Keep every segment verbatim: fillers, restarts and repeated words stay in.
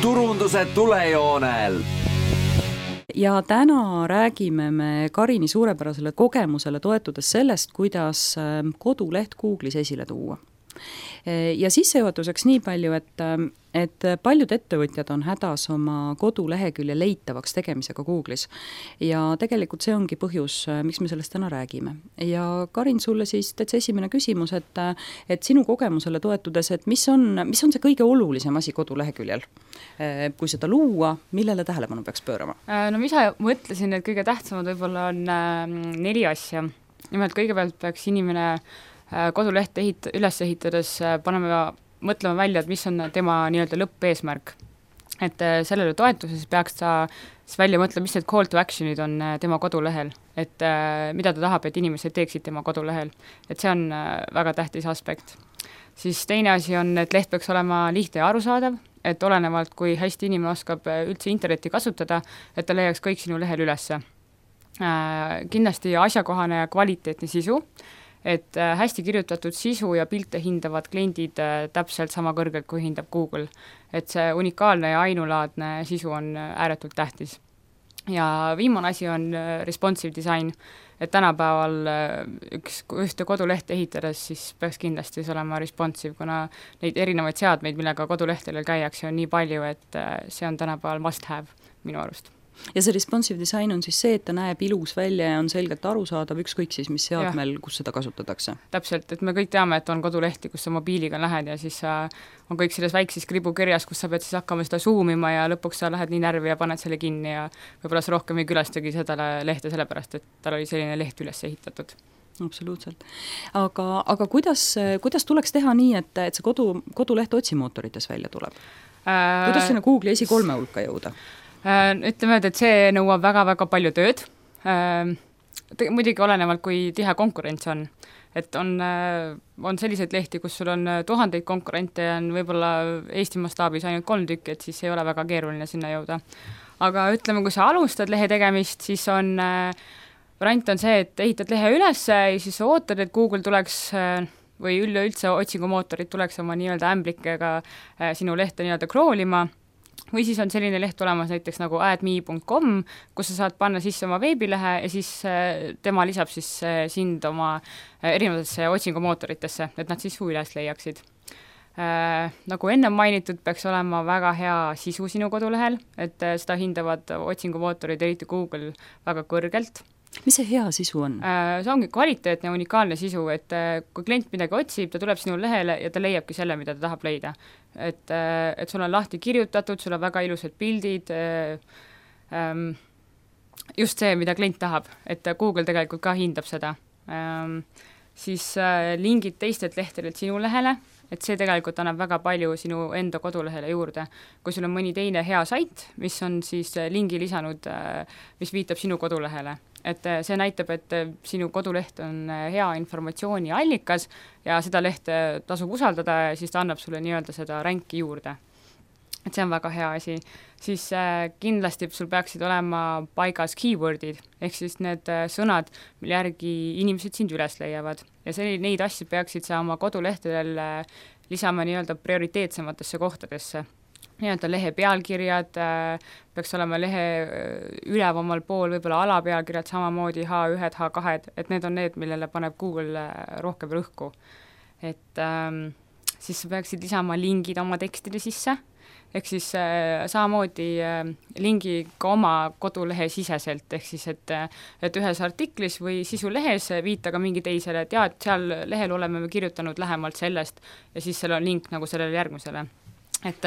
turunduse tulejoonel. Ja täna räägime me Karini suurepärasele kogemusele toetudes sellest, kuidas koduleht Google'is esile tuua. Ja sissejuhatuseks nii palju, et, et paljud ettevõtjad on hädas oma kodulehekülje leitavaks tegemisega Google'is. Ja tegelikult see ongi põhjus, miks me sellest täna räägime. Ja Karin, sulle siis täitsa esimene küsimus, et, et sinu kogemusele toetudes, et mis on, mis on see kõige olulisem asi koduleheküljel? Kui seda luua, millele tähelepanu peaks pöörama? No mida mõtlesin, et kõige tähtsamad võib-olla on neli asja. Nimelt kõigepealt peaks inimene kodulehte ehit- üles ehitades paneme mõtlema välja, et mis on tema nii-öelda lõppeesmärk. Et sellele toetuses peaks ta siis välja mõtlema, mis need call to actionid on tema kodulehel, et mida ta tahab, et inimesed teeksid tema kodulehel. Et see on väga tähtis aspekt. Siis teine asi on, et leht peaks olema lihtne ja arusaadav, et olenevalt, kui hästi inimene oskab üldse internetti kasutada, et ta leiaks kõik sinu lehel ülesse. Kindlasti asjakohane ja kvaliteetne sisu, et hästi kirjutatud sisu ja pilte hindavad kliendid täpselt sama kõrgelt, kui hindab Google. Et see unikaalne ja ainulaadne sisu on ääretult tähtis. Ja viimane asi on responsive design, et tänapäeval üks, ühte kodulehte ehitades siis peaks kindlasti olema responsive, kuna neid erinevaid seadmeid, millega kodulehtedel käiakse, on nii palju, et see on tänapäeval must have minu arust. Ja see responsive design on siis see, et ta näeb ilus välja ja on selgelt arusaadav ükskõik siis, mis seadmel, kus seda kasutatakse. Täpselt, et me kõik teame, et on kodulehti, kus sa mobiiliga lähed ja siis on kõik selles väikses kribukirjas, kus sa pead siis hakkama seda zoomima ja lõpuks sa lähed nii närvi ja paned selle kinni ja võib-olla sa rohkem ei külastagi seda lehte sellepärast, et tal oli selline leht üles ehitatud. Absoluutselt. Aga, aga kuidas, kuidas tuleks teha nii, et, et see kodu, koduleht otsimootorites välja tuleb? Äh... Kuidas sinna Google'i esi kolme hulka jõuda? Ütleme, et see nõuab väga-väga palju tööd. Muidugi olenevalt, kui tihe konkurents on. Et on, on selliseid lehti, kus sul on tuhandeid konkurente ja on võib-olla Eesti mastaabis ainult kolm tükki, et siis ei ole väga keeruline sinna jõuda. Aga ütleme, kui sa alustad lehe tegemist, siis on, variant on see, et ehitad lehe üles ja siis ootad, et Google tuleks või üleüldse otsingumootorid tuleks oma nii-öelda ämblikega sinu lehte nii-öelda kroolima. Või siis on selline leht olemas näiteks nagu add me dot com, kus sa saad panna sisse oma veebilehe ja siis tema lisab siis sind oma erinevatesse otsingumootoritesse, et nad siis üles leiaksid. Äh, nagu enne mainitud, peaks olema väga hea sisu sinu kodulehel, et seda hindavad otsingumootorid, eriti Google, väga kõrgelt. Mis see hea sisu on? See ongi kvaliteetne ja unikaalne sisu, et kui klient midagi otsib, ta tuleb sinu lehele ja ta leiabki selle, mida ta tahab leida. Et, et sul on lahti kirjutatud, sul on väga ilusad pildid, just see, mida klient tahab, et Google tegelikult ka hindab seda. Siis lingid teistelt lehtedelt sinu lehele, et see tegelikult annab väga palju sinu enda kodulehele juurde. Kui sul on mõni teine hea sait, mis on siis lingi lisanud, mis viitab sinu kodulehele. Et see näitab, et sinu koduleht on hea informatsiooni allikas ja seda lehte tasub usaldada ja siis ta annab sulle nii-öelda seda ränki juurde. Et see on väga hea asi. Siis kindlasti sul peaksid olema paigas keywordid, ehk siis need sõnad, mille järgi inimesed sind üles leiavad. Ja see, neid asju peaksid sa oma kodulehtedel lisama nii-öelda prioriteetsematesse kohtadesse. Nii-öelda lehe pealkirjad, peaks olema lehe ülevamal pool, võib-olla alapealkirjad samamoodi H üks, H kaks, et need on need, millele paneb Google rohkem rõhku. Et ähm, siis sa peaksid lisama lingid oma tekstide sisse, ehk siis äh, samamoodi äh, lingi ka oma kodulehe siseselt, ehk siis, et, et ühes artiklis või sisulehes viita ka mingi teisele, et jah, et seal lehel oleme me kirjutanud lähemalt sellest ja siis seal on link nagu sellele järgmisele. Et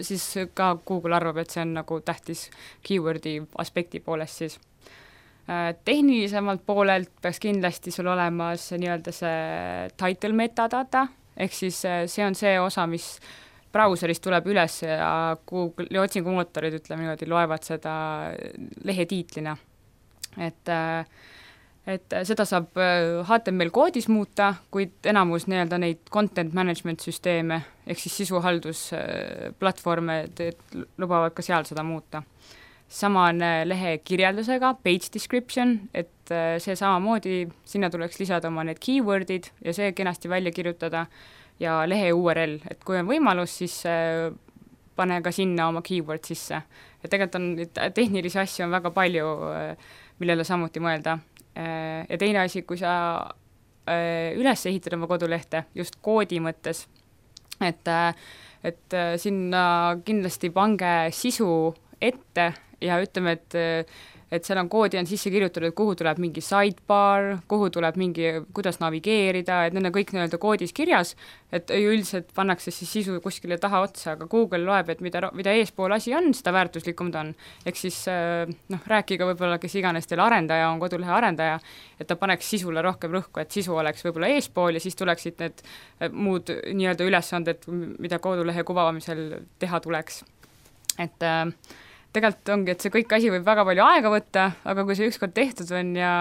siis ka Google arvab, et see on nagu tähtis keywordi aspekti poolest siis. Tehnilisemalt poolelt peaks kindlasti sul olemas nii-öelda see title metadata, ehk siis see on see osa, mis brauserist tuleb üles ja Google otsingumootorid, ütleme niimoodi, loevad seda lehe tiitlina. Et et seda saab H T M L koodis muuta, kuid enamus nii-öelda neid content management süsteeme, ehk siis sisuhaldusplatvorme lubavad ka seal seda muuta. Sama on lehe kirjeldusega, page description, et see samamoodi, sinna tuleks lisada oma need keywordid ja see kenasti välja kirjutada ja lehe U R L, et kui on võimalus, siis pane ka sinna oma keyword sisse. Ja tegelikult on tehnilisi asju on väga palju, millele samuti mõelda. Ja teine asi, kui sa üles ehitad oma kodulehte just koodi mõttes, et, et sinna kindlasti pange sisu ette ja ütleme, et et seal on koodi on sisse kirjutatud, kuhu tuleb mingi sidebar, kuhu tuleb mingi, kuidas navigeerida, et need on kõik nii-öelda koodis kirjas, et üldiselt pannakse siis sisu kuskile taha otsa, aga Google loeb, et mida, mida eespool asi on, seda väärtuslikum ta on. Ehk siis noh, rääkiga võib-olla, kes iganes teil arendaja on, kodulehe arendaja, et ta paneks sisule rohkem rõhku, et sisu oleks võib-olla eespool ja siis tuleksid need muud nii-öelda ülesanded, mida kodulehe kuvamisel teha tuleks. Et äh, tegelikult ongi, et see kõik asi võib väga palju aega võtta, aga kui see ükskord tehtud on ja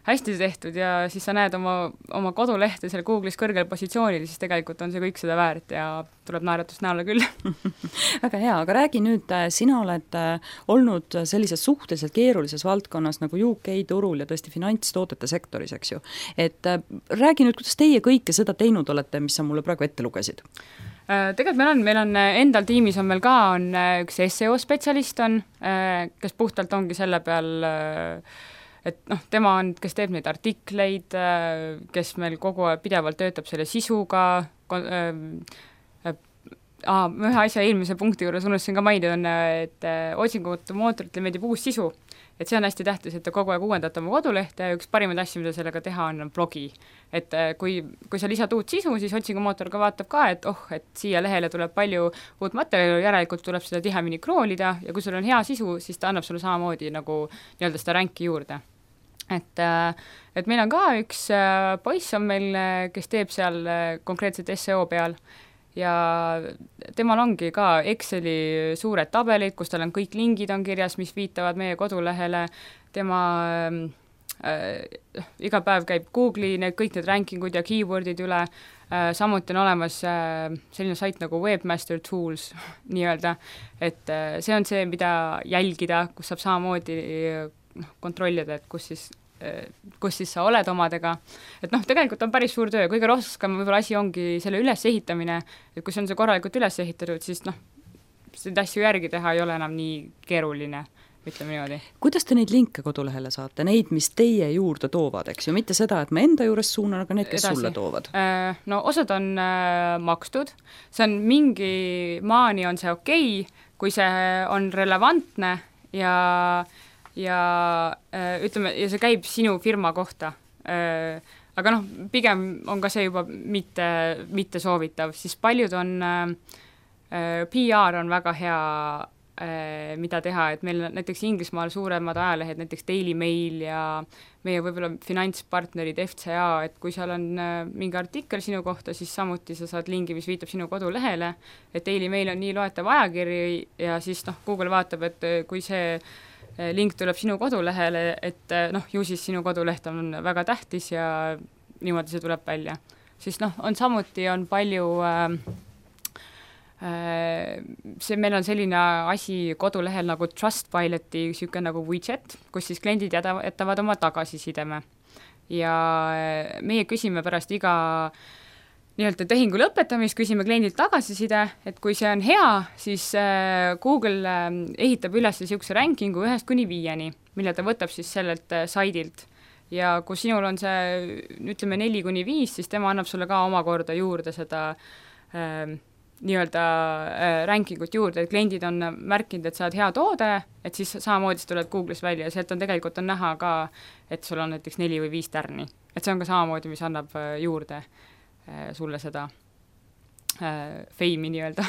hästi tehtud ja siis sa näed oma, oma kodulehte seal Google'is kõrgel positsioonil, siis tegelikult on see kõik seda väärt ja tuleb naeratust näole küll. Väga hea, aga räägi nüüd, sina oled olnud sellises suhteliselt keerulises valdkonnas nagu U K turul ja tõesti finantstootete sektoris, eks ju. Et räägi nüüd, kuidas teie kõike seda teinud olete, mis sa mulle praegu ette lugesid? Tegelikult meil on, meil on endal tiimis on meil ka on üks S E O spetsialist on, kes puhtalt ongi selle peal, et noh, tema on, kes teeb neid artikleid, kes meil kogu aeg pidevalt töötab selle sisuga, ah, ühe asja eelmise punkti juures unustasin ka mainida on, et otsingute mootoritele meeldib uus sisu. Et see on hästi tähtis, et te kogu aeg uuendate oma kodulehte ja üks parimaid asju, mida sellega teha on, on blogi. Et kui, kui sa lisad uut sisu, siis otsingumootor ka vaatab ka, et oh, et siia lehele tuleb palju uut materjali, järelikult tuleb seda tihemini kroolida ja kui sul on hea sisu, siis ta annab sulle samamoodi nagu nii-öelda seda ränki juurde. Et, et meil on ka üks poiss on meil, kes teeb seal konkreetselt S E O peal ja temal ongi ka Exceli suured tabelid, kus tal on kõik lingid on kirjas, mis viitavad meie kodulehele, tema äh, iga päev käib Google'i need, kõik need rankingud ja keywordid üle, äh, samuti on olemas äh, selline sait nagu Webmaster Tools nii-öelda, et äh, see on see, mida jälgida, kus saab samamoodi noh, kontrollida, et kus siis kus siis sa oled omadega, et noh, tegelikult on päris suur töö, kõige rohkem võib-olla asi ongi selle ülesehitamine, et kui see on see korralikult üles ehitatud, siis noh, seda asju järgi teha ei ole enam nii keeruline, ütleme niimoodi. Kuidas te neid linke kodulehele saate, neid, mis teie juurde toovad, eks ju, mitte seda, et ma enda juures suunan, aga need, kes Edasi. Sulle toovad? No osad on äh, makstud, see on mingi maani on see okei, kui see on relevantne ja ja ütleme, ja see käib sinu firma kohta. Aga noh, pigem on ka see juba mitte, mitte soovitav, siis paljud on, P R on väga hea, mida teha, et meil näiteks Inglismaal suuremad ajalehed, näiteks Daily Mail ja meie võib-olla finantspartnerid F C A, et kui seal on mingi artikkel sinu kohta, siis samuti sa saad lingi, mis viitab sinu kodulehele, et Daily Mail on nii loetav ajakiri ja siis noh, Google vaatab, et kui see link tuleb sinu kodulehele, et noh, ju siis sinu koduleht on väga tähtis ja niimoodi see tuleb välja. Siis noh, on samuti on palju äh, see, meil on selline asi kodulehel nagu Trustpiloti siuke nagu widget, kus siis kliendid jätavad oma tagasisideme. Ja meie küsime pärast iga nii-öelda tehingu lõpetamist, küsime kliendilt tagasiside, et kui see on hea, siis Google ehitab üles siukse rankingu ühest kuni viieni, mille ta võtab siis sellelt saidilt. Ja kui sinul on see, ütleme, neli kuni viis, siis tema annab sulle ka omakorda juurde seda äh, nii-öelda äh, rankingut juurde, et kliendid on märkinud, et sa oled hea toode, et siis samamoodi tuled Google'is välja ja sealt on tegelikult on näha ka, et sul on näiteks neli või viis tärni. Et see on ka samamoodi, mis annab juurde sulle seda äh, feimi nii-öelda.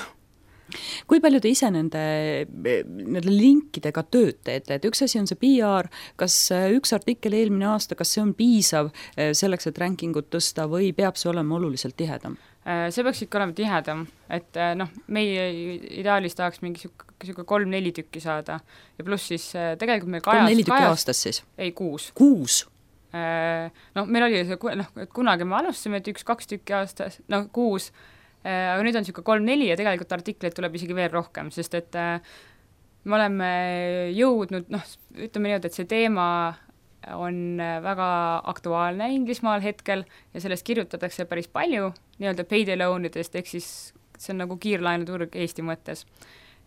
Kui palju te ise nende, nende linkidega tööd teete, et üks asi on see P R, kas üks artikkel eelmine aasta, kas see on piisav selleks, et rankingut tõsta või peab see olema oluliselt tihedam? See peaks ikka olema tihedam, et noh, meie ideaalis tahaks mingi siuke kolm-neli tükki saada ja pluss siis tegelikult meil kajas... kolm-neli tükki aastas siis? Ei, kuus. Kuus? No meil oli see, noh, et kunagi me alustasime, et üks-kaks tükki aastas, no kuus, aga nüüd on siuke kolm-neli ja tegelikult artikleid tuleb isegi veel rohkem, sest et me oleme jõudnud, noh, ütleme nii, et see teema on väga aktuaalne Inglismaal hetkel ja sellest kirjutatakse päris palju nii-öelda payday loanidest, ehk siis see on nagu kiirlaenuturg Eesti mõttes.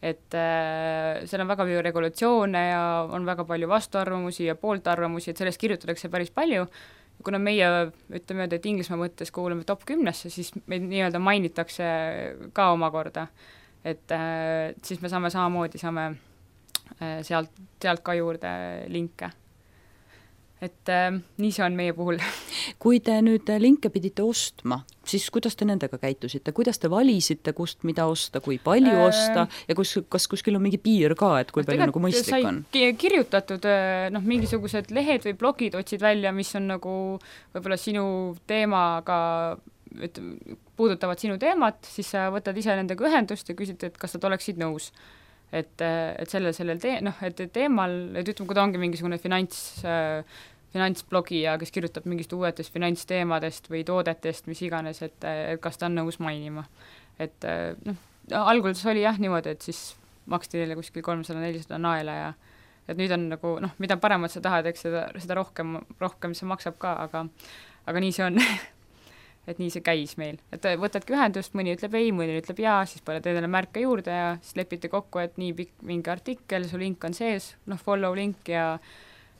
Et äh, seal on väga palju regulatsioone ja on väga palju vastuarvamusi ja pooltarvamusi, et sellest kirjutatakse päris palju. Kuna meie, ütleme, et Inglismaa mõttes kuuleme top kümnesse, siis meid nii-öelda mainitakse ka omakorda. Et äh, siis me saame samamoodi, saame äh, sealt, sealt ka juurde linke. Et äh, nii see on meie puhul. Kui te nüüd linke pidite ostma, siis kuidas te nendega käitusite? Kuidas te valisite, kust mida osta, kui palju äh, osta ja kus, kas kuskil on mingi piir ka, et kui palju nagu mõistlik on? Kirjutatud noh, mingisugused lehed või blogid otsid välja, mis on nagu võib-olla sinu teemaga, et puudutavad sinu teemat, siis sa võtad ise nendega ühendust ja küsid, et kas nad oleksid nõus. Et, et sellel, sellel te, noh, et teemal, et ütleme, kui ta ongi mingisugune finants, finantsblogija, kes kirjutab mingist uuetest finantsteemadest või toodetest, mis iganes, et, et kas ta on nõus mainima. Et noh, alguses oli jah niimoodi, et siis maksti neile kuskil kolmsada nelisada naela ja et nüüd on nagu, noh, mida paremat sa tahad, eks seda, seda rohkem, rohkem see maksab ka, aga, aga nii see on. Et nii see käis meil. Et võtadki ühendust, mõni ütleb ei, mõni ütleb jaa, siis paned endale märke juurde ja siis lepite kokku, et nii pikk mingi artikkel, su link on sees, noh, follow link ja,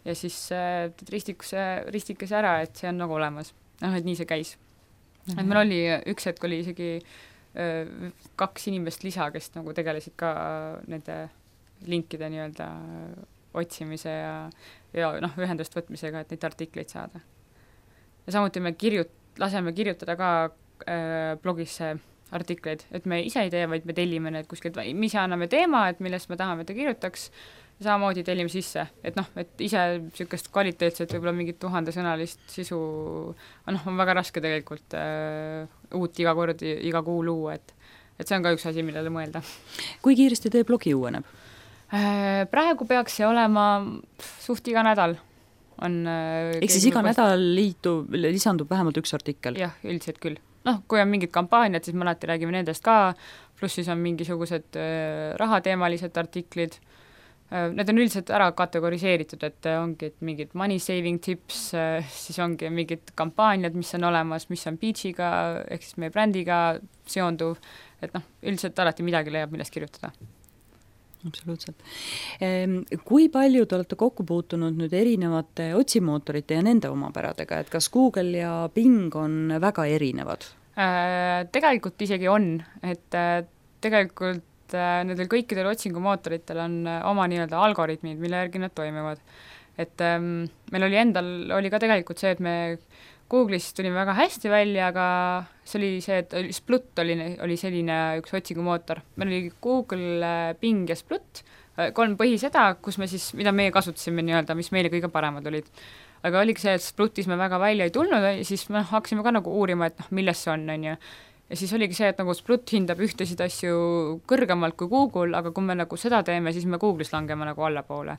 ja siis äh, ristikuse, ristikese ära, et see on nagu olemas. Noh, et nii see käis. Mm-hmm. Et meil oli, üks hetk oli isegi äh, kaks inimest lisa, kes nagu tegelesid ka nende linkide nii-öelda otsimise ja, ja noh, ühendust võtmisega, et neid artikleid saada. Ja samuti me kirjut laseme kirjutada ka äh, blogisse artikleid, et me ise ei tee, vaid me tellime need kuskilt, me ise anname teema, et millest me tahame, et ta kirjutaks, ja samamoodi tellime sisse, et noh, et ise niisugust kvaliteetset võib-olla mingit tuhandesõnalist sisu, noh, on väga raske tegelikult äh, uut iga kord, iga kuu luua, et, et see on ka üks asi, millele mõelda. Kui kiiresti teie blogi uueneb? Äh, praegu peaks see olema suht iga nädal. On, ehk siis iga nädal liitu, lisandub vähemalt üks artikkel? Jah, üldiselt küll. Noh, kui on mingid kampaaniad, siis me alati räägime nendest ka, pluss siis on mingisugused äh, rahateemalised artiklid. Äh, need on üldiselt ära kategoriseeritud, et ongi et mingid money saving tips, äh, siis ongi mingid kampaaniad, mis on olemas, mis on Beachiga, ehk siis meie brändiga seonduv, et noh, üldiselt alati midagi leiab, millest kirjutada. Absoluutselt. Kui palju te olete kokku puutunud nüüd erinevate otsimootorite ja nende omapäradega, et kas Google ja Bing on väga erinevad? Äh, tegelikult isegi on, et äh, tegelikult äh, nendel kõikidel otsingumootoritel on äh, oma nii-öelda algoritmid, mille järgi nad toimivad. Et ähm, meil oli endal, oli ka tegelikult see, et me Google'is tuli väga hästi välja, aga see oli see, et Splut oli, oli selline üks otsingumootor. Meil oli Google, Bing ja Splut, kolm põhiseda, kus me siis, mida meie kasutasime nii-öelda, mis meile kõige paremad olid. Aga oligi see, et Splutis me väga välja ei tulnud, siis me hakkasime ka nagu uurima, et noh, milles see on, on ju. Ja siis oligi see, et nagu Splut hindab ühtesid asju kõrgemalt kui Google, aga kui me nagu seda teeme, siis me Google'is langeme nagu allapoole.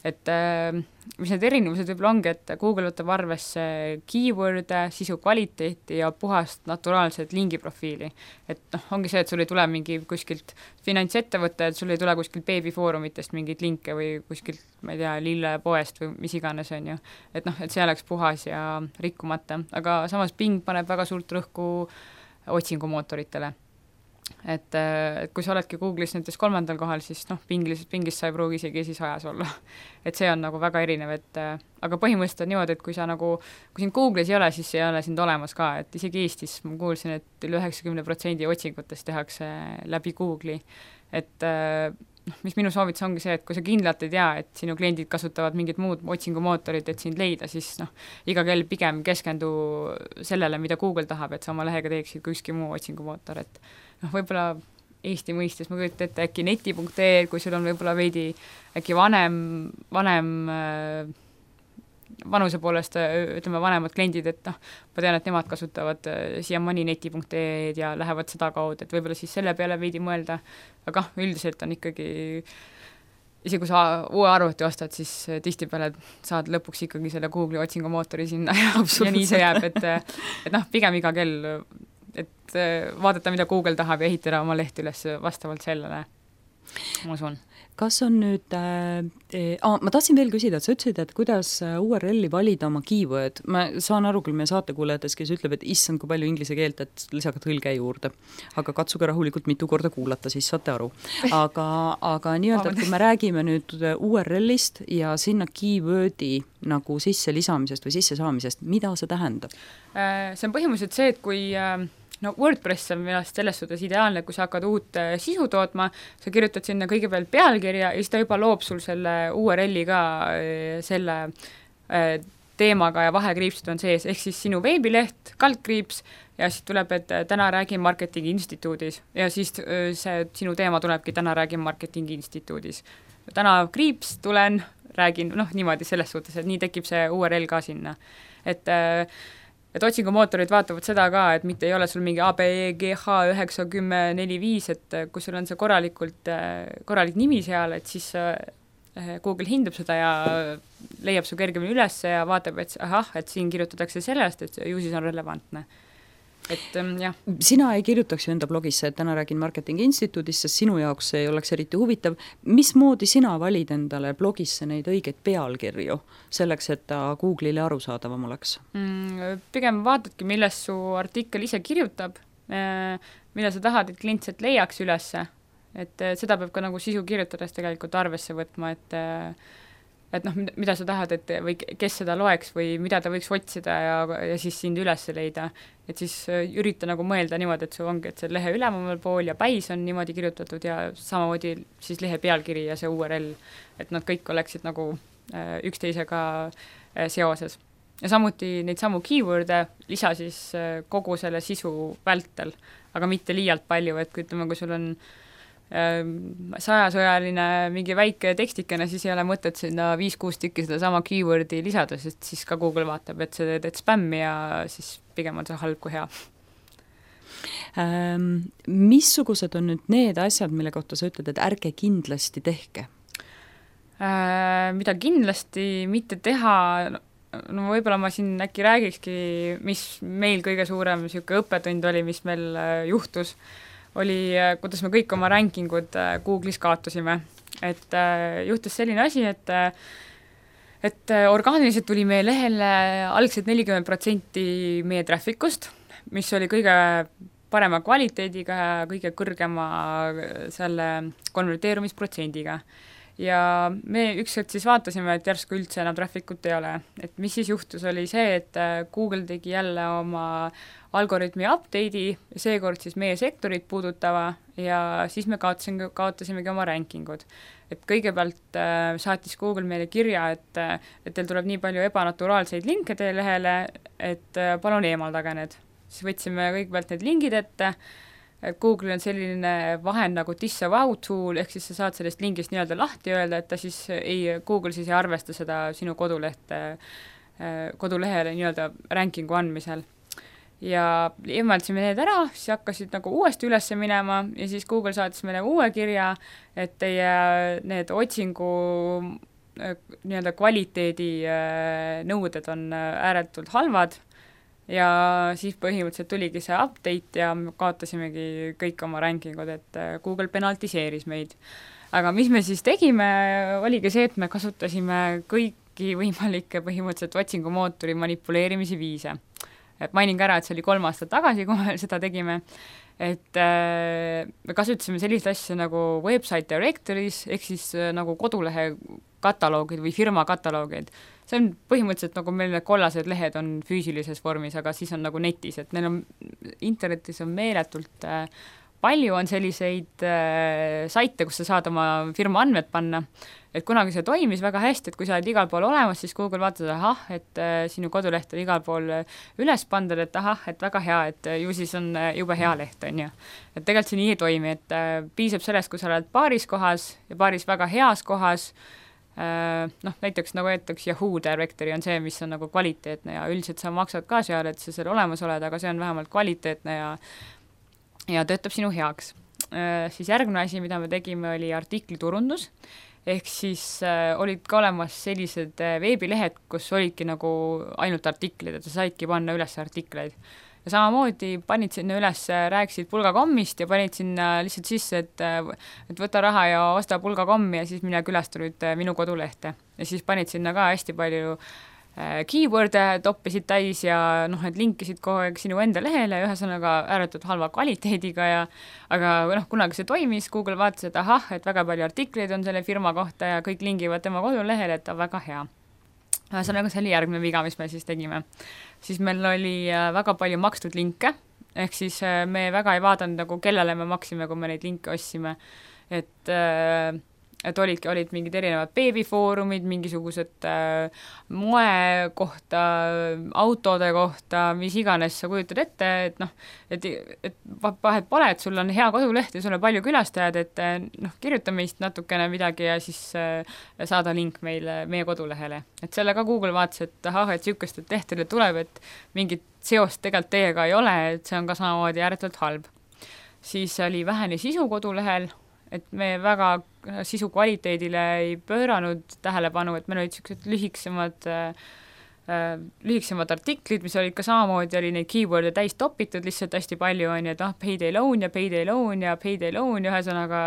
Et äh, mis need erinevused võib-olla ongi, et Google võtab arvesse keyword'e, sisu kvaliteeti ja puhast naturaalset lingiprofiili. Et noh, ongi see, et sul ei tule mingi kuskilt finantsettevõtte, et sul ei tule kuskilt beebifoorumitest mingeid linke või kuskilt, ma ei tea, lillepoest või mis iganes on ju. Et noh, et see oleks puhas ja rikkumata. Aga samas Bing paneb väga suurt rõhku otsingumootoritele. Et, et kui sa oledki Google'is näiteks kolmandal kohal, siis noh, Bingis, Bingis sa ei pruugi isegi esisajas olla. Et see on nagu väga erinev, et aga põhimõtteliselt on niimoodi, et kui sa nagu, kui sind Google'is ei ole, siis ei ole sind olemas ka, et isegi Eestis ma kuulsin, et üle üheksakümne protsendi otsingutest tehakse läbi Google'i. Et noh, mis minu soovitus ongi see, et kui sa kindlalt ei tea, et sinu kliendid kasutavad mingit muud otsingumootorit, et sind leida, siis noh, iga kell pigem keskendu sellele, mida Google tahab, et sa oma lehega teeksid kui ükski muu otsingumootor, et noh, võib-olla Eesti mõistes ma kujutan ette äkki neti punkt ee, kui sul on võib-olla veidi äkki vanem, vanem äh, vanuse poolest, ütleme, vanemad kliendid, et noh, ma tean, et nemad kasutavad siiamaani neti punkt ee ja lähevad seda kaudu, et võib-olla siis selle peale veidi mõelda, aga üldiselt on ikkagi, isegi kui sa uue arvuti ostad, siis tihtipeale saad lõpuks ikkagi selle Google'i otsingumootori sinna ja, ja nii see jääb, et, et noh, pigem iga kell, et vaadata, mida Google tahab ja ehitada oma leht üles vastavalt sellele. ma usun. Kas on nüüd äh,, äh, ma tahtsin veel küsida, et sa ütlesid, et kuidas U R L-i valida oma keyword. Ma saan aru küll meie saatekuulajates, kes ütleb, et issand, kui palju inglise keelt, et lisage tõlge juurde. Aga katsuge rahulikult mitu korda kuulata, siis saate aru. Aga, aga nii-öelda, et kui me räägime nüüd U R L-ist ja sinna keyword'i nagu sisse lisamisest või sisse saamisest, mida see tähendab? See on põhimõtteliselt see, et kui no WordPress on minu arust selles suhtes ideaalne, kui sa hakkad uut sisu tootma, sa kirjutad sinna kõigepealt pealkirja ja siis ta juba loob sul selle U R L-i ka selle teemaga ja vahekriipsid on sees, ehk siis sinu veebileht, kaldkriips ja siis tuleb, et täna räägin Marketingi Instituudis ja siis see sinu teema tulebki täna räägin Marketingi Instituudis. Täna kriips tulen, räägin, noh niimoodi selles suhtes, et nii tekib see U R L ka sinna. Et et otsingumootorid vaatavad seda ka, et mitte ei ole sul mingi A B E G H üheksa kümme neli viis, et kui sul on see korralikult, korralik nimi seal, et siis Google hindab seda ja leiab su kergemini üles ja vaatab, et ahah, et siin kirjutatakse sellest, et ju siis on relevantne. Et jah. Sina ei kirjutaks ju enda blogisse, et täna räägin Marketingi Instituudis, sest sinu jaoks ei oleks eriti huvitav. Mismoodi sina valid endale blogisse neid õigeid pealkirju selleks, et ta Google'ile arusaadavam oleks? Mm, pigem vaatadki, millest su artikkel ise kirjutab, mida sa tahad, et klient sealt leiaks ülesse. Et seda peab ka nagu sisu kirjutades tegelikult arvesse võtma, et et noh, mida sa tahad, et või kes seda loeks või mida ta võiks otsida ja, ja siis sind üles leida. Et siis ürita nagu mõelda niimoodi, et see ongi, et see lehe ülemal pool ja päis on niimoodi kirjutatud ja samamoodi siis lehe pealkiri ja see U R L, et nad kõik oleksid nagu äh, üksteisega äh, seoses. Ja samuti neid samu keyword'e lisa siis äh, kogu selle sisu vältel, aga mitte liialt palju, et kui ütleme, kui sul on sajasõjaline mingi väike tekstikene, siis ei ole mõtet sinna viis-kuus tükki seda sama keyword'i lisada, sest siis ka Google vaatab, et see teed spämmi ja siis pigem on see halb kui hea. Ähm, missugused on nüüd need asjad, mille kohta sa ütled, et ärge kindlasti tehke? Äh, mida kindlasti mitte teha, no võib-olla ma siin äkki räägikski, mis meil kõige suurem siuke õppetund oli, mis meil juhtus, oli, kuidas me kõik oma rankingud Google'is kaotusime. Et juhtus selline asi, et, et orgaaniliselt tuli meie lehele algselt nelikümmend protsenti meie trafficust, mis oli kõige parema kvaliteediga ja kõige kõrgema selle konverteerumisprotsendiga. Ja me ükskord siis vaatasime, et järsku üldse enam trafficut ei ole. Et mis siis juhtus, oli see, et Google tegi jälle oma algoritmi update'i, seekord siis meie sektorit puudutava ja siis me kaotasime, kaotasimegi oma rankingud. Et kõigepealt äh, saatis Google meile kirja, et, et teil tuleb nii palju ebanaturaalseid linke teie lehele, et äh, palun eemaldage need. Siis võtsime kõigepealt need lingid ette, et Google on selline vahend nagu disavow tool, ehk siis sa saad sellest lingist nii-öelda lahti öelda, et ta siis ei, Google siis ei arvesta seda sinu kodulehte, äh, kodulehele nii-öelda rankingu andmisel. Ja eemaldasime need ära, siis hakkasid nagu uuesti üles minema ja siis Google saatis meile uue kirja, et teie need otsingu nii-öelda kvaliteedi nõuded on ääretult halvad ja siis põhimõtteliselt tuligi see update ja kaotasimegi kõik oma rankingud, et Google penaltiseeris meid. Aga mis me siis tegime, oligi see, et me kasutasime kõiki võimalikke põhimõtteliselt otsingumootori manipuleerimise viise. Et mainin ka ära, et see oli kolm aastat tagasi, kui me seda tegime, et äh, me kasutasime sellist asja nagu website directories, ehk siis äh, nagu kodulehe kataloogid või firma kataloogid. See on põhimõtteliselt nagu meil need kollased lehed on füüsilises vormis, aga siis on nagu netis, et neil on, internetis on meeletult äh, palju on selliseid äh, saite, kus sa saad oma firma andmed panna, et kunagi see toimis väga hästi, et kui sa oled igal pool olemas, siis Google vaatab, ahah, et äh, sinu koduleht on igal pool üles pandud, et ahah, et väga hea, et ju siis on jube hea leht, on ju. Et tegelikult see nii ei toimi, et äh, piisab sellest, kui sa oled paaris kohas ja paaris väga heas kohas, äh, noh, näiteks nagu öeldaks Yahoo Directory on see, mis on nagu kvaliteetne ja üldiselt sa maksad ka seal, et sa seal olemas oled, aga see on vähemalt kvaliteetne ja ja töötab sinu heaks. Äh, siis järgmine asi, mida me tegime, oli artikliturundus, ehk siis äh, olid ka olemas sellised äh, veebilehed, kus olidki nagu ainult artiklid, et sa saidki panna üles artikleid. ja samamoodi panid sinna üles, rääkisid pulgakommist ja panid sinna lihtsalt sisse, et et võta raha ja osta pulgakommi ja siis mine külasta nüüd minu kodulehte. Ja siis panid sinna ka hästi palju keyword'e, toppisid täis ja noh, et linkisid kogu aeg sinu enda lehele, ühesõnaga ääretult halva kvaliteediga ja aga noh, kunagi see toimis, Google vaatas, et ahah, et väga palju artikleid on selle firma kohta ja kõik lingivad tema kodulehele, et ta väga hea. Ühesõnaga, see oli järgmine viga, mis me siis tegime. Siis meil oli väga palju makstud linke, ehk siis me väga ei vaadanud, nagu kellele me maksime, kui me neid linke ostsime, et et olid, olid mingid erinevad beebifoorumid, mingisugused äh, moe kohta, autode kohta, mis iganes sa kujutad ette, et noh, et, et vahet pole, et sul on hea koduleht ja sul on palju külastajad, et noh, kirjuta meist natukene midagi ja siis äh, saada link meile, meie kodulehele. Et selle ka Google vaatas, et ahah, et sihukest, et lehtele tuleb, et mingit seost tegelikult teiega ei ole, et see on ka samamoodi ääretult halb. Siis oli vähene sisu kodulehel, et me väga sisu kvaliteedile ei pööranud tähelepanu, et meil olid sellised lühiksemad, äh, lühiksemad artiklid, mis olid ka samamoodi, oli neid keyword'e täis topitud, lihtsalt hästi palju on, et ah, payday loan ja payday loan ja payday loan ja ühesõnaga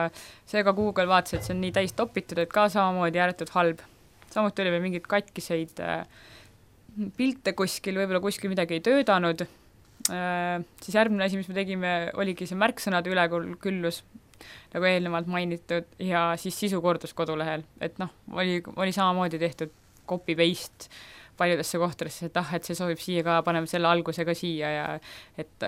seega Google vaatas, et see on nii täis topitud, et ka samamoodi ääretult halb. Samuti oli veel mingid katkiseid äh, pilte kuskil, võib-olla kuskil midagi ei töödanud, äh, siis järgmine asi, mis me tegime, oligi see märksõnade üleküllus, nagu eelnevalt mainitud, ja siis sisukordus kodulehel, et noh, oli, oli samamoodi tehtud copy-paste paljudesse kohtadesse, et ah, et see sobib siia ka, paneme selle algusega siia ja et,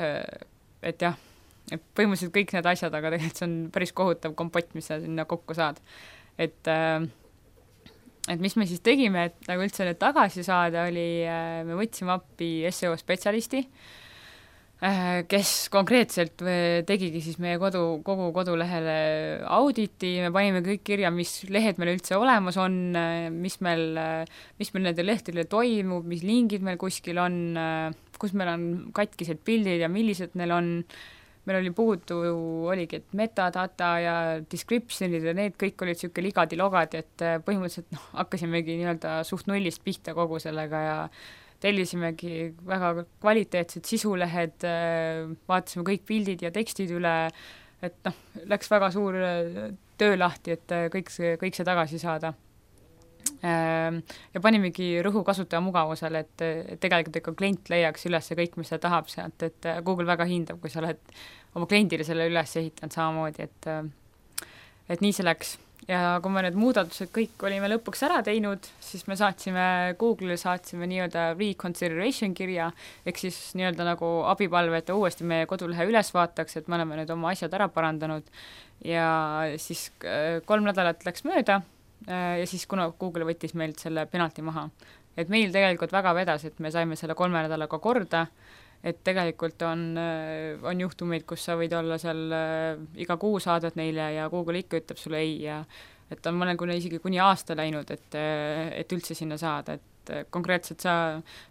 et jah, et põhimõtteliselt kõik need asjad, aga tegelikult see on päris kohutav kompott, mis sa sinna kokku saad. Et, et mis me siis tegime, et nagu üldse need tagasi saada, oli, me võtsime appi S E O spetsialisti, kes konkreetselt tegigi siis meie kodu, kogu kodulehele auditi, me panime kõik kirja, mis lehed meil üldse olemas on, mis meil, mis meil nende lehtedele toimub, mis lingid meil kuskil on, kus meil on katkised pildid ja millised neil on, meil oli puudu, oligi, et metadata ja descriptionid ja need kõik olid selline ligadi-logadi, et põhimõtteliselt noh, hakkasimegi nii-öelda suht nullist pihta kogu sellega ja tellisimegi väga kvaliteetsed sisulehed, vaatasime kõik pildid ja tekstid üle, et noh, läks väga suur töö lahti, et kõik see, kõik see tagasi saada. Ja panimegi rõhu kasutaja mugavusele, et, et tegelikult ikka klient leiaks üles kõik, mis ta tahab sealt, et Google väga hindab, kui sa oled oma kliendile selle üles ehitanud samamoodi, et, et nii see läks. Ja kui me need muudatused kõik olime lõpuks ära teinud, siis me saatsime, Google'ile saatsime nii-öelda reconsideration kirja, ehk siis nii-öelda nagu abipalve, et uuesti meie kodulehe üles vaataks, et me oleme nüüd oma asjad ära parandanud ja siis kolm nädalat läks mööda ja siis kuna Google võttis meilt selle penalti maha. Et meil tegelikult väga vedas, et me saime selle kolme nädalaga korda, et tegelikult on, on juhtumeid, kus sa võid olla seal äh, iga kuu saadad neile ja Google ikka ütleb sulle ei ja et on mõnel kuni isegi kuni aasta läinud, et, et üldse sinna saada, et konkreetselt sa,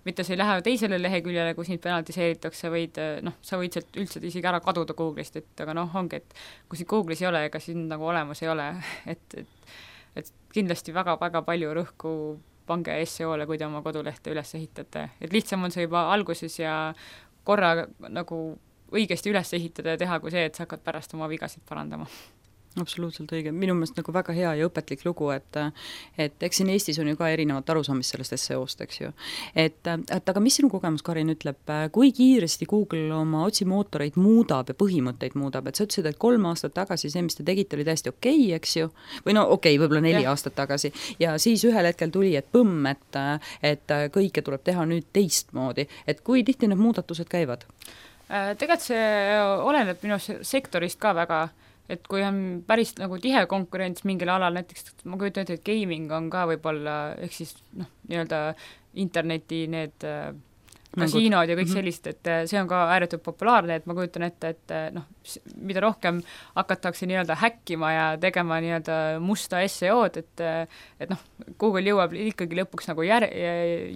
mitte sa ei lähe teisele leheküljele, kus neid penaltiseeritakse, võid, noh, sa võid sealt üldse isegi ära kaduda Google'ist, et aga noh, ongi, et kui siin Google'is ei ole, ega siin nagu olemas ei ole, et, et, et kindlasti väga-väga palju rõhku pange S E O-le, kui te oma kodulehte üles ehitate. Et lihtsam on see juba alguses ja korra nagu õigesti üles ehitada ja teha kui see, et sa hakkad pärast oma vigasid parandama. Absoluutselt õige. Minu meelest nagu väga hea ja õpetlik lugu, et, et eks siin Eestis on ju ka erinevat arusaamist sellest S E O-st, eks ju. Et, et aga mis sinu kogemus, Karin, ütleb, kui kiiresti Google oma otsimootoreid muudab ja põhimõtteid muudab, et sa ütlesid, et kolm aastat tagasi see, mis te tegite, oli täiesti okei, okay, eks ju, või no okei okay,, võib-olla neli ja. aastat tagasi, ja siis ühel hetkel tuli, et põmm, et, et kõike tuleb teha nüüd teistmoodi, et kui tihti need muudatused käivad? Tegelikult see oleneb minu sektorist ka väga, et kui on päris nagu tihe konkurents mingil alal, näiteks ma kujutan ette, et gaming on ka võib-olla, ehk siis noh, nii-öelda interneti need kasiinod ja kõik sellist, et see on ka ääretult populaarne, et ma kujutan ette, et noh, mida rohkem hakatakse nii-öelda häkkima ja tegema nii-öelda musta S E O-d, et, et noh, Google jõuab ikkagi lõpuks nagu jär,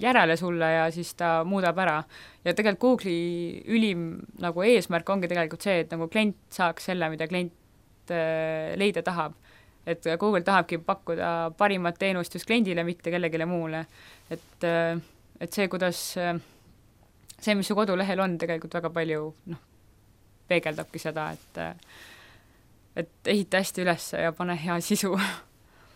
järele sulle ja siis ta muudab ära. Ja tegelikult Google'i ülim nagu eesmärk ongi tegelikult see, et nagu klient saaks selle, mida klient leida tahab. Et Google tahabki pakkuda parimat teenust just kliendile, mitte kellegile muule. Et, et see, kuidas see, mis su kodulehel on, tegelikult väga palju noh, peegeldabki seda, et et ehita hästi üles ja pane hea sisu.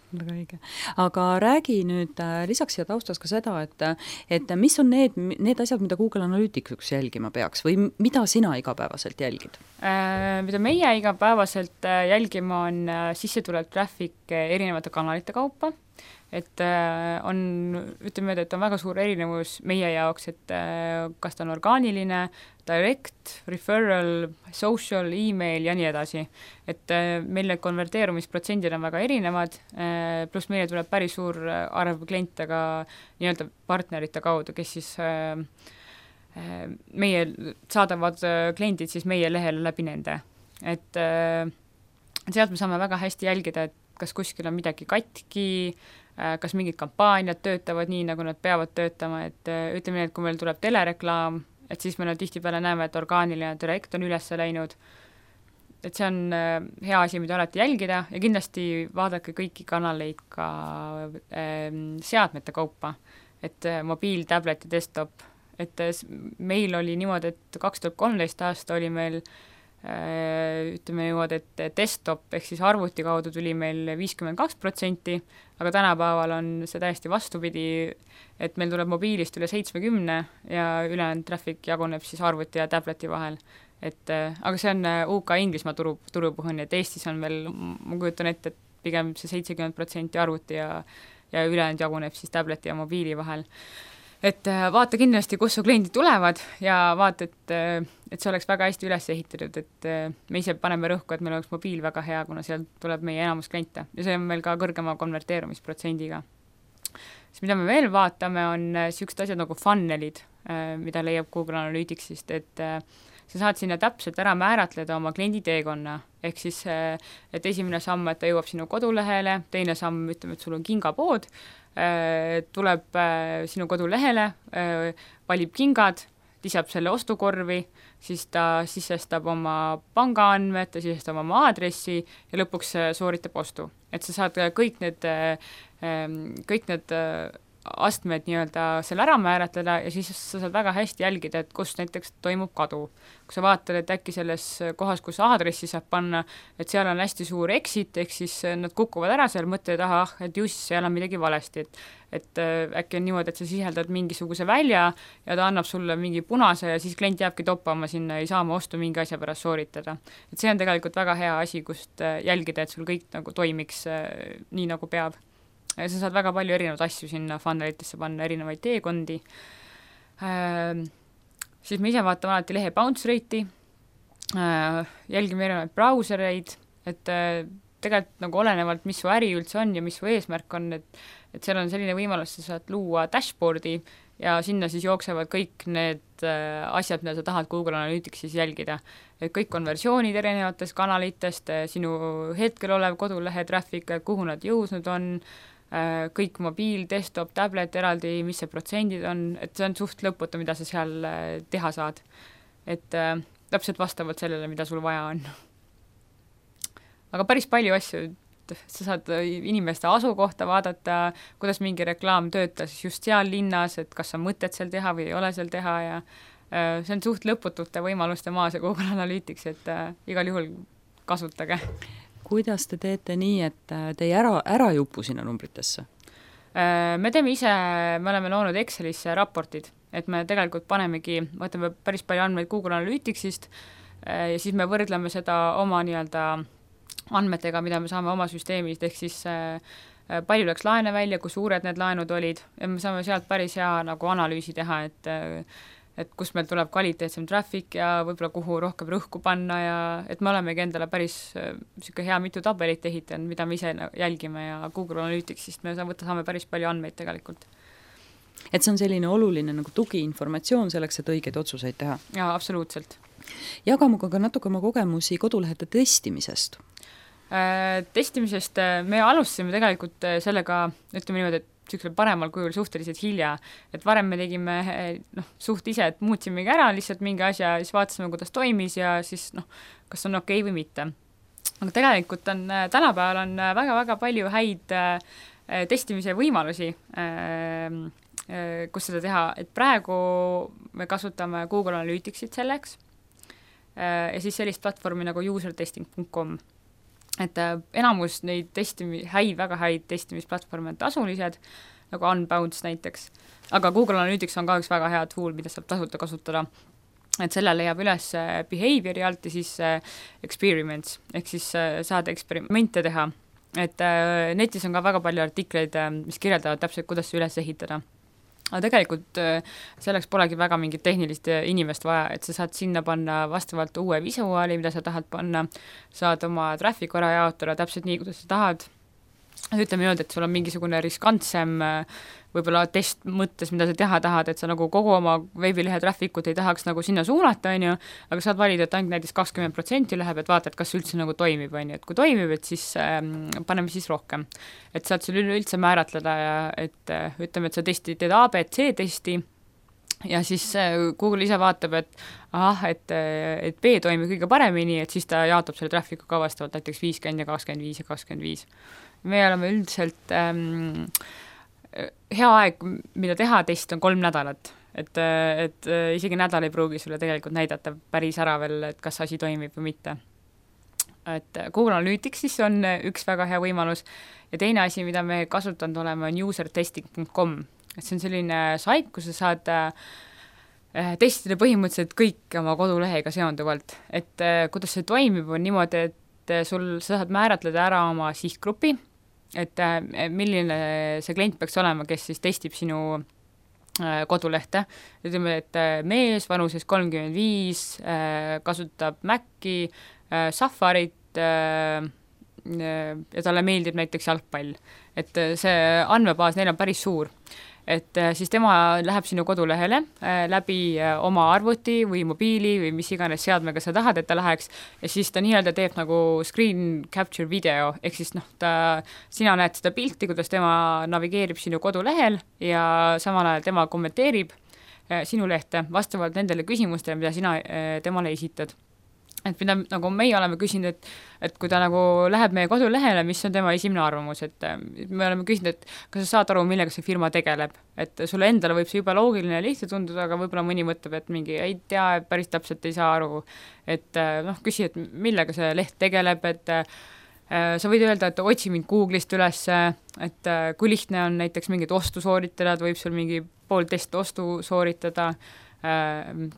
Väga õige. Aga räägi nüüd lisaks siia taustas ka seda, et, et mis on need, need asjad, mida Google Analytics jälgima peaks või mida sina igapäevaselt jälgid? Äh, mida meie igapäevaselt jälgima on sisse tulev traffic erinevate kanalite kaupa, et on, ütleme, et on väga suur erinevus meie jaoks, et kas ta on orgaaniline, direct, referral, social, email ja nii edasi. Et meil need konverteerumisprotsendid on väga erinevad, pluss meile tuleb päris suur arv kliente ka nii-öelda partnerite kaudu, kes siis meie saadavad kliendid siis meie lehele läbi nende. Et sealt me saame väga hästi jälgida, et kas kuskil on midagi katki, kas mingid kampaaniad töötavad nii, nagu nad peavad töötama, et ütleme nii, et kui meil tuleb telereklaam, et siis me tihtipeale näeme, et orgaaniline direkt on üles läinud, et see on hea asi, mida alati jälgida ja kindlasti vaadake kõiki kanaleid ka äh, seadmete kaupa, et äh, mobiil, tablet ja desktop, et äh, meil oli niimoodi, et kaks tuhat kolmteist aasta oli meil ütleme niimoodi, et desktop ehk siis arvuti kaudu tuli meil viiskümmend kaks protsenti, aga tänapäeval on see täiesti vastupidi, et meil tuleb mobiilist üle seitsmekümne ja ülejäänud traffic jaguneb siis arvuti ja tableti vahel. Et, aga see on U K Inglismaa turu, turupõhine, et Eestis on veel, ma kujutan ette, et pigem see seitsekümmend protsenti arvuti ja, ja ülejäänud jaguneb siis tableti ja mobiili vahel. Et vaata kindlasti, kus su kliendid tulevad ja vaata, et, et see oleks väga hästi üles ehitatud, et me ise paneme rõhku, et meil oleks mobiil väga hea, kuna seal tuleb meie enamus kliente ja see on meil ka kõrgema konverteerumisprotsendiga. Siis mida me veel vaatame, on niisugused asjad nagu funnelid, mida leiab Google Analyticsist, et sa saad sinna täpselt ära määratleda oma kliendi teekonna, ehk siis, et esimene samm, et ta jõuab sinu kodulehele, teine samm, ütleme, et sul on kingapood, tuleb sinu kodulehele, valib kingad, lisab selle ostukorvi, siis ta sisestab oma pangaandmed, ta sisestab oma aadressi ja lõpuks sooritab ostu. Et sa saad kõik need, kõik need astmed nii-öelda seal ära määratleda ja siis sa saad väga hästi jälgida, et kus näiteks toimub kadu. Kui sa vaatad, et äkki selles kohas, kus aadressi saab panna, et seal on hästi suur exit, ehk siis nad kukuvad ära seal mõtte taha, ah, et just seal on midagi valesti, et, et äkki on niimoodi, et sa siseldad mingisuguse välja ja ta annab sulle mingi punase ja siis klient jääbki toppama sinna, ei saa oma ostu mingi asja pärast sooritada. Et see on tegelikult väga hea asi, kust jälgida, et sul kõik nagu toimiks nii, nagu peab. Ja sa saad väga palju erinevaid asju sinna funnelitesse panna, erinevaid teekondi. Äh, siis me ise vaatame alati lehe bounce rate'i, äh, jälgime erinevaid brausereid, et äh, tegelikult nagu olenevalt, mis su äri üldse on ja mis su eesmärk on, et, et seal on selline võimalus, sa saad luua dashboardi ja sinna siis jooksevad kõik need äh, asjad, mida sa tahad Google Analyticsis jälgida. Et kõik konversioonid erinevatest kanalitest, sinu hetkel olev kodulehe traffic, kuhu nad jõusnud on, kõik mobiil, desktop, tablet eraldi, mis see protsendid on, et see on suht lõputu, mida sa seal teha saad. Et äh, täpselt vastavalt sellele, mida sul vaja on. Aga päris palju asju, sa saad inimeste asukohta vaadata, kuidas mingi reklaam töötas just seal linnas, et kas on mõtet seal teha või ei ole seal teha ja äh, see on suht lõputute võimaluste maas ja Google Analytics, et äh, igal juhul kasutage. Kuidas te teete nii, et te ei ära, ära jupu sinna numbritesse? Me teeme ise, me oleme loonud Excelisse raportid, et me tegelikult panemegi, võtame päris palju andmeid Google Analyticsist ja siis me võrdleme seda oma nii-öelda andmetega, mida me saame oma süsteemist, ehk siis palju läks laene välja, kui suured need laenud olid ja me saame sealt päris hea nagu analüüsi teha, et et kus meil tuleb kvaliteetsem traffic ja võib-olla kuhu rohkem rõhku panna ja et me olemegi endale päris niisugune hea mitu tabelit ehitanud, mida me ise jälgime ja Google Analyticsist me saame päris palju andmeid tegelikult. Et see on selline oluline nagu tugiinformatsioon selleks, et õigeid otsuseid teha? Jaa, absoluutselt. Jaga muga ka natuke oma kogemusi kodulehete testimisest. Äh, testimisest me alustasime tegelikult sellega, ütleme niimoodi, et niisugusel paremal kujul suhteliselt hilja, et varem me tegime noh, suht ise, et muutsimegi ära lihtsalt mingi asja, siis vaatasime, kuidas toimis ja siis noh, kas on okei või mitte. Aga tegelikult on, tänapäeval on väga-väga palju häid äh, testimise võimalusi äh, kus seda teha, et praegu me kasutame Google Analyticsit selleks ja siis sellist platvormi nagu usertesting punkt com. Et enamus neid testimi, häid, väga häid testimisplatvorme on tasulised, nagu Unbounce näiteks, aga Google Analytics on ka üks väga hea tool, mida saab tasuta kasutada. Et selle leiab üles behaviori alt ja siis experiments, ehk siis saada eksperimente teha. Et netis on ka väga palju artikleid, mis kirjeldavad täpselt, kuidas üles ehitada. Aga tegelikult selleks polegi väga mingit tehnilist inimest vaja, et sa saad sinna panna vastavalt uue visuaali, mida sa tahad panna, saad oma traffic ära jaotada täpselt nii, kuidas sa tahad. Ütleme niimoodi, et sul on mingisugune riskantsem võib-olla test mõttes, mida sa teha tahad, et sa nagu kogu oma veebilehe trafficut ei tahaks nagu sinna suunata, on ju, aga saad valida, et ainult näiteks kakskümmend protsenti läheb, et vaata, et kas üldse nagu toimib, on ju, et kui toimib, et siis ähm, paneme siis rohkem. Et saad sul üldse määratleda ja et äh, ütleme, et sa testi, teed A B C testi ja siis äh, Google ise vaatab, et ahah, et, et B toimib kõige paremini, et siis ta jaotab selle trafficu ka vastavalt näiteks viiskümmend ja kakskümmend viis ja kakskümmend viis. Me oleme üldiselt ähm, hea aeg, mida teha test on kolm nädalat, et, et isegi nädal ei pruugi sulle tegelikult näidata päris ära veel, et kas asi toimib või mitte. Et Google Analytics siis on üks väga hea võimalus ja teine asi, mida me kasutanud oleme, on usertesting punkt com. Et see on selline sait, kus sa saad äh, testida põhimõtteliselt kõik oma kodulehega seonduvalt. Et äh, kuidas see toimib, on niimoodi, et sul, sa saad määratleda ära oma sihtgrupi, et milline see klient peaks olema, kes siis testib sinu kodulehte. Ütleme, et mees vanuses kolmkümmend viis kasutab Maci, Safarit ja talle meeldib näiteks jalgpall. Et see andmebaas neil on päris suur. Et siis tema läheb sinu kodulehele läbi oma arvuti või mobiili või mis iganes seadmega sa tahad, et ta läheks ja siis ta nii-öelda teeb nagu screen capture video, ehk siis noh, ta, sina näed seda pilti, kuidas tema navigeerib sinu kodulehel ja samal ajal tema kommenteerib sinu lehte vastavalt nendele küsimustele, mida sina temale esitad. Et mida nagu meie oleme küsinud, et, et kui ta nagu läheb meie kodulehele, mis on tema esimene arvamus, et me oleme küsinud, et kas sa saad aru, millega see firma tegeleb, et sulle endale võib see juba loogiline ja lihtne tunduda, aga võib-olla mõni mõtleb, et mingi ei tea, päris täpselt ei saa aru, et noh, küsi, et millega see leht tegeleb, et sa võid öelda, et otsi mind Google'ist üles, et kui lihtne on näiteks mingit ostu sooritada, et võib sul mingi pool test ostu sooritada,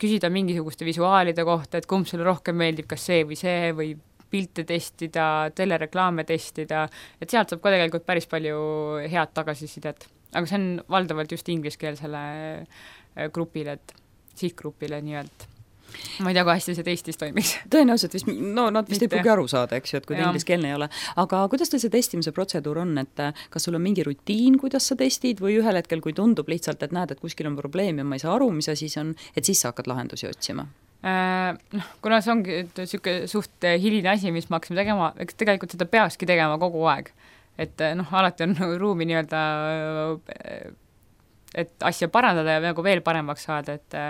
küsida mingisuguste visuaalide kohta, et kumb sulle rohkem meeldib, kas see või see või pilte testida, telereklaame testida, et sealt saab ka tegelikult päris palju head tagasisidet. Aga see on valdavalt just ingliskeelsele grupile, et sihtgrupile nii-öelda. Ma ei tea, kui hästi see teistis toimiks. Tõenäoliselt vist, no nad vist Mitte. Ei pruugi aru saada, eks ju, et kui ta ingliskeelne ei ole. Aga kuidas teil see testimise protseduur on, et kas sul on mingi rutiin, kuidas sa testid või ühel hetkel, kui tundub lihtsalt, et näed, et kuskil on probleem ja ma ei saa aru, mis asi see on, et siis sa hakkad lahendusi otsima? Äh, noh, kuna see ongi siuke suht hiline asi, mis ma hakkasin tegema, eks tegelikult seda peakski tegema kogu aeg. Et noh, alati on ruumi nii-öelda, et asja parandada ja nagu veel paremaks saada, et,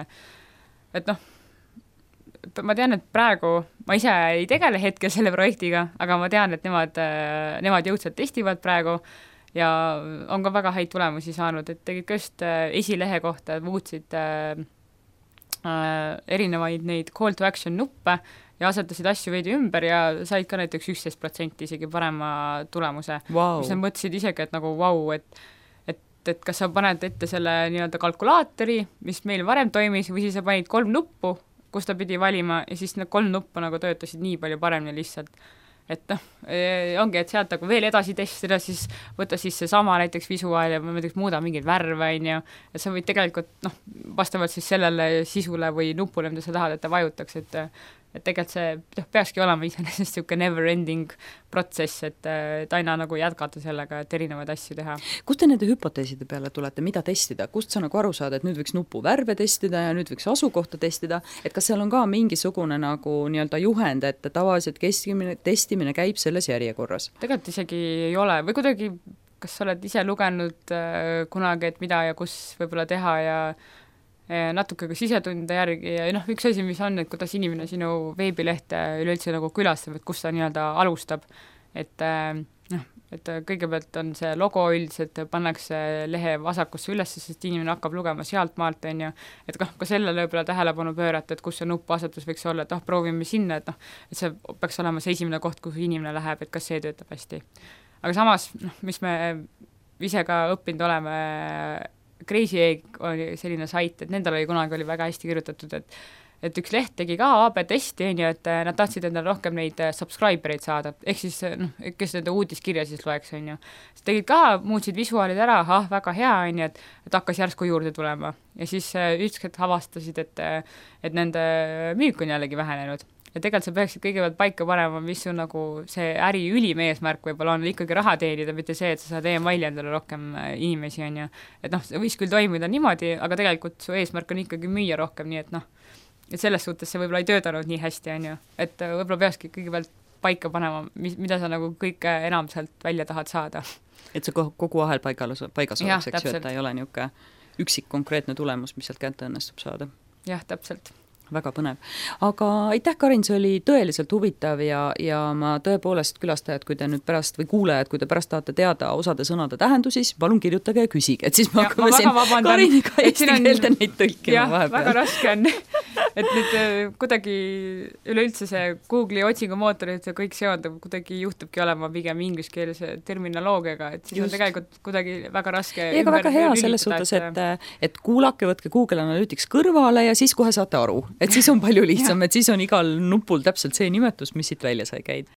et noh, ma tean, et praegu ma ise ei tegele hetkel selle projektiga, aga ma tean, et nemad, nemad jõudsalt testivad praegu ja on ka väga häid tulemusi saanud, et tegid ka just esilehe kohta, muutsid äh, erinevaid neid call to action nuppe ja asetasid asju veidi ümber ja said ka näiteks üksteist protsenti isegi parema tulemuse, wow. Mis nad mõtlesid isegi, et nagu vau, wow, et et, et kas sa paned ette selle nii-öelda kalkulaatori, mis meil varem toimis, või siis sa panid kolm nuppu, kus ta pidi valima ja siis need kolm nuppa nagu töötasid nii palju paremini lihtsalt. Et noh, ongi, et sealt nagu veel edasi testida, siis võtta siis see sama näiteks visuaal ja näiteks muuda mingeid värve, ja sa võid tegelikult noh, vastavalt siis sellele sisule või nupule, mida sa tahad, et ta vajutaks, et et tegelikult see peakski olema iseenesest siuke never ending protsess, et, et aina nagu jätkata sellega, et erinevaid asju teha. Kust te nende hüpoteeside peale tulete, mida testida? Kust sa nagu aru saad, et nüüd võiks nupu värve testida ja nüüd võiks asukohta testida, et kas seal on ka mingisugune nagu nii-öelda juhend, et tavaliselt kestimine, testimine käib selles järjekorras? Tegelikult isegi ei ole või kuidagi, kas sa oled ise lugenud äh, kunagi, et mida ja kus võib-olla teha ja natuke ka sisetunde järgi ja noh, üks asi, mis on, et kuidas inimene sinu veebilehte üleüldse nagu külastab, et kus ta nii-öelda alustab, et, noh, et kõigepealt on see logo üldiselt, pannakse lehe vasakusse ülesse, sest inimene hakkab lugema sealt maalt, on ju, et kah, ka sellele võib-olla tähelepanu pöörata, et kus see nuppasetus võiks olla, et noh, proovime sinna, et noh, et see peaks olema see esimene koht, kuhu inimene läheb, et kas see töötab hästi. Aga samas, noh, mis me ise ka õppinud oleme, Crazy Egg oli selline sait, et nendel oli kunagi oli väga hästi kirjutatud, et et üks leht tegi ka A B testi, on ju, et nad tahtsid endale rohkem neid subscribereid saada, ehk siis noh, kes nende uudiskirja siis loeks, on ju. Siis tegid ka, muutsid visuaalid ära, ah, väga hea, on ju, et, et hakkas järsku juurde tulema. Ja siis ükskord avastasid, et, et nende müük on jällegi vähenenud. Ja tegelikult sa peaksid kõigepealt paika panema, mis on nagu see äri ülim eesmärk võib-olla on ikkagi raha teenida, mitte see, et sa saad e-maili endale rohkem inimesi, on ju. Et noh, see võis küll toimida niimoodi, aga tegelikult su eesmärk on ikkagi müüa rohkem, nii et noh, et selles suhtes see võib-olla ei töötanud nii hästi, on ju, et võib-olla peakski kõigepealt paika panema, mis, mida sa nagu kõike enam sealt välja tahad saada. Et see kogu ahel paigas, paigas oleks, eks ju, et ta ei ole niisugune üksik konkreetne tulemus, mis sealt kätte õnnestub saada. Jah, täpselt. Väga põnev. Aga aitäh, Karin, see oli tõeliselt huvitav ja, ja ma tõepoolest külastajad, kui te nüüd pärast või kuulajad, kui te pärast tahate teada osade sõnade tähendusi, siis palun kirjutage ja küsige, et siis me hakkame siin Kariniga eesti keelde neid tõlkima vahepeal. Väga raske on, et nüüd kuidagi üleüldse see Google'i otsingumootorid, see kõik seondub, kuidagi juhtubki olema pigem ingliskeelse terminoloogiaga, et siis Just. on tegelikult kuidagi väga raske ega väga hea selles suhtes, et, et kuulake, võtke Google Analytics kõrvale ja siis kohe saate aru. Et siis on palju lihtsam, et siis on igal nupul täpselt see nimetus, mis siit välja sai käid.